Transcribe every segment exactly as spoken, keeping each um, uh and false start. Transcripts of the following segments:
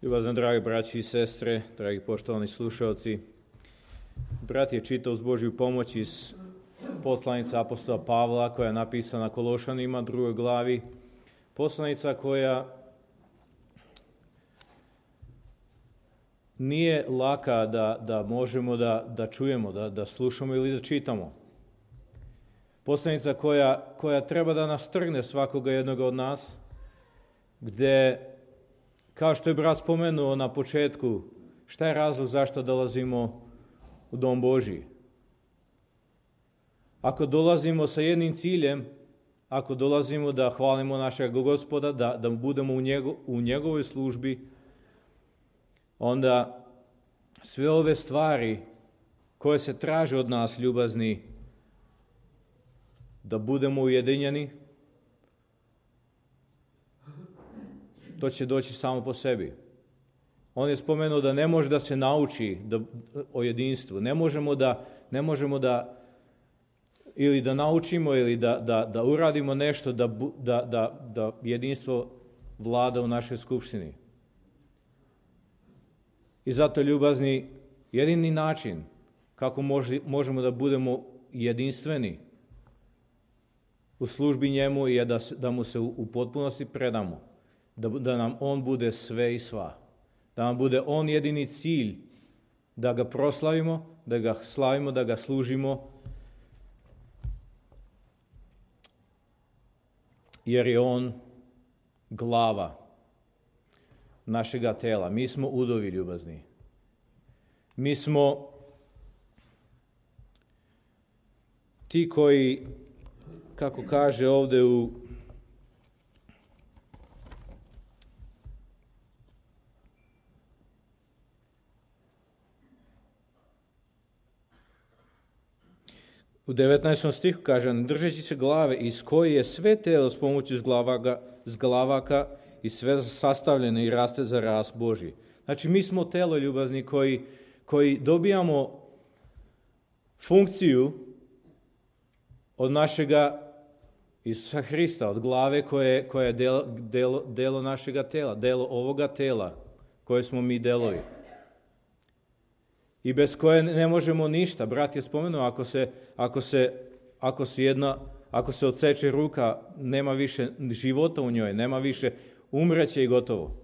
Ljubazno, dragi braći i sestre, dragi poštovani slušalci, brat je čitao uz Božju pomoć iz poslanice apostola Pavla koja je napisana Kološanima, drugoj glavi. Poslanica koja nije laka da, da možemo da, da čujemo, da, da slušamo ili da čitamo. Poslanica koja, koja treba da nas trgne svakoga jednog od nas, gde, kao što je brat spomenuo na početku, šta je razlog zašto dolazimo u dom Božji? Ako dolazimo sa jednim ciljem, ako dolazimo da hvalimo našeg Gospoda, da, da budemo u, njego, u njegovoj službi, onda sve ove stvari koje se traže od nas, ljubazni, da budemo ujedinjeni, to će doći samo po sebi. On je spomenuo da ne može da se nauči da, o jedinstvu. Ne možemo da, ne možemo da ili da naučimo ili da, da, da uradimo nešto da, da, da, da jedinstvo vlada u našoj skupštini. I zato, ljubazni, jedini način kako može, možemo da budemo jedinstveni u službi njemu je da, da mu se u, u potpunosti predamo. Da, da nam on bude sve i sva. Da nam bude on jedini cilj, da ga proslavimo, da ga slavimo, da ga služimo, jer je on glava našega tela. Mi smo udovi, ljubazni. Mi smo ti koji, kako kaže ovde u U devetnaestom stihu kaže, držeći se glave iz koje je sve telo s pomoću zglavaka, zglavaka i sve sastavljeno i raste za rast Božji. Znači, mi smo telo, ljubazni, koji, koji dobijamo funkciju od našega Isusa Hrista, od glave koje, koje je delo, delo, delo našega tela, delo ovoga tela koje smo mi delovi. I bez koje ne možemo ništa. Brat je spomenuo, ako se, ako se, ako se, jedna, ako se odseče ruka, nema više života u njoj, nema više, umreće i gotovo.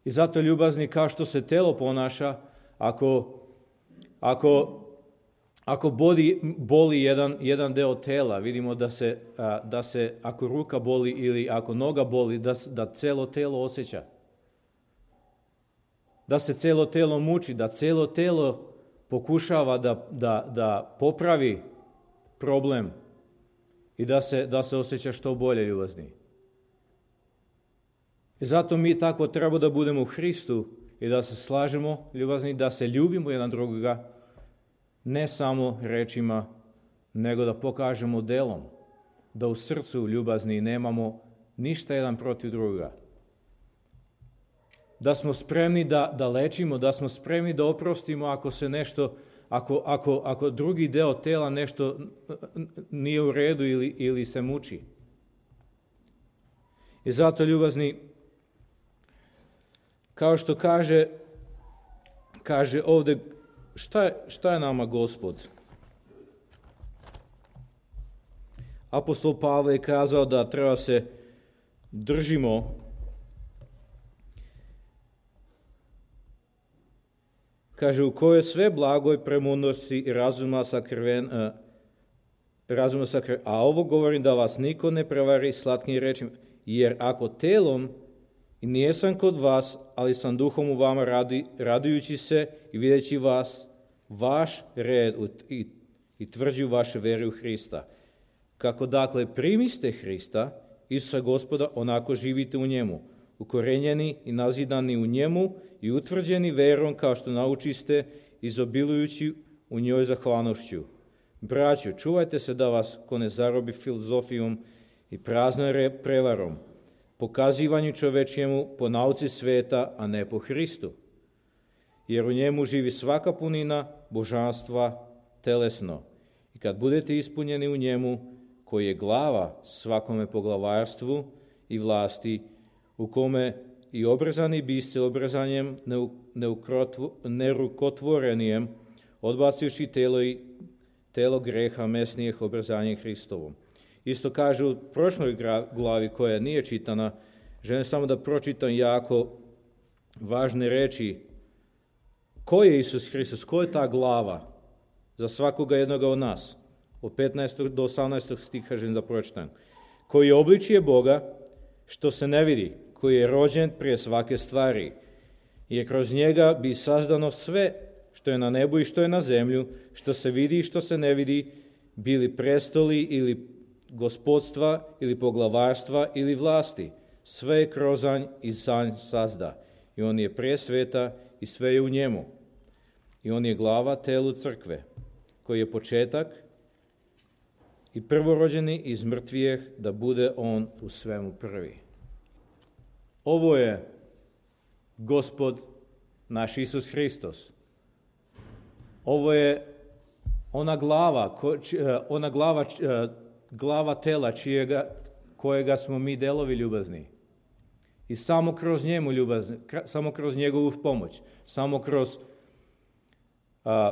I zato, ljubazni, kao što se telo ponaša, ako, ako, ako boli, boli jedan, jedan deo tela, vidimo da se, da se, ako ruka boli ili ako noga boli, da, da celo telo osjeća. Da se celo telo muči, da celo telo pokušava da, da, da popravi problem i da se, da se osjeća što bolje, ljubazni. I zato mi tako treba da budemo u Hristu i da se slažemo, ljubazni, da se ljubimo jedan drugoga, ne samo rečima, nego da pokažemo delom, da u srcu, ljubazni, nemamo ništa jedan protiv drugoga. Da smo spremni da, da lečimo, da smo spremni da oprostimo ako se nešto, ako, ako, ako drugi deo tela nešto nije u redu ili, ili se muči. I zato, ljubazni, kao što kaže, kaže ovde, šta je, šta je nama Gospod? Apostol Pavle je kazao da treba se držimo, kaže, u kojoj sve blagoj premudrosti i razuma sakrven, uh, razuma sakrven, a ovo govorim da vas niko ne prevari slatkim rečima, jer ako telom i nijesam kod vas, ali sam duhom u vama radi, radujući se i videći vas, vaš red i, i tvrđu vaše vere u Hrista. Kako dakle primiste Hrista, Isusa Gospoda, onako živite u njemu, ukorenjeni i nazidani u njemu i utvrđeni verom kao što naučiste, izobilujući u njoj zahvalnošću. Braćo, čuvajte se da vas ko ne zarobi filozofijom i praznom prevarom, pokazivanju čovečjemu po nauci sveta, a ne po Hristu. Jer u njemu živi svaka punina božanstva telesno. I kad budete ispunjeni u njemu, koji je glava svakome poglavarstvu i vlasti, u kome i obrezani biste obrezanjem nerukotvorenijem, odbacujući telo i telo greha mesnijeg obrezanjem Hristovom. Isto kaže u prošloj glavi koja nije čitana, želim samo da pročitam jako važne reči. Ko je Isus Hristos? Ko je ta glava za svakoga jednoga od nas? Od petnaestog do osamnaestog stiha želim da pročitam. Koji je obličije Boga, što se ne vidi, koji je rođen prije svake stvari, jer kroz njega bi sazdano sve što je na nebu i što je na zemlju, što se vidi i što se ne vidi, bili prestoli ili gospodstva ili poglavarstva ili vlasti. Sve je krozanj i sanj sazda. I on je prije sveta i sve je u njemu. I on je glava telu crkve, koji je početak i prvorođeni iz mrtvijeh, da bude on u svemu prvi. Ovo je Gospod naš Isus Hristos. Ovo je ona glava, ona glava, glava tela čijega, kojega smo mi delovi ljubazni. I samo kroz njemu ljubazni, samo kroz njegovu pomoć, samo kroz a,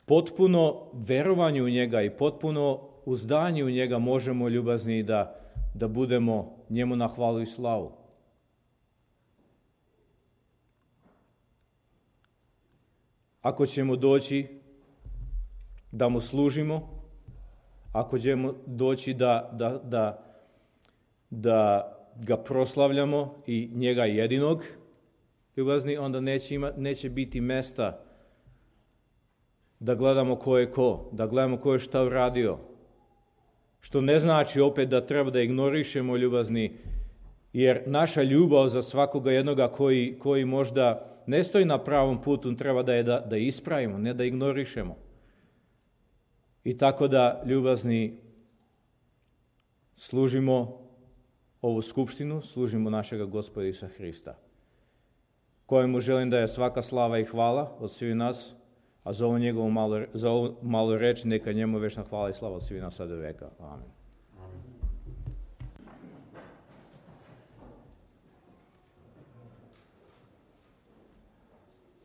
potpuno verovanje u njega i potpuno uzdanje u njega možemo ljubazni da, da budemo njemu na hvalu i slavu. Ako ćemo doći da mu služimo, ako ćemo doći da, da, da, da ga proslavljamo i njega jedinog ljubazni, onda neće, ima, neće biti mesta da gledamo ko je ko, da gledamo ko je šta uradio. Što ne znači opet da treba da ignorišemo ljubazni, jer naša ljubav za svakoga jednoga koji, koji možda ne stoji na pravom putu, treba da je da, da ispravimo, ne da ignorišemo. I tako da ljubazni služimo ovu skupštinu, služimo našega Gospoda Isusa Hrista, kojemu želim da je svaka slava i hvala od svih nas, a za ovu njegovu malu, za ovu malu reč neka njemu večna hvala i slava od svih nas sada do veka. Amen.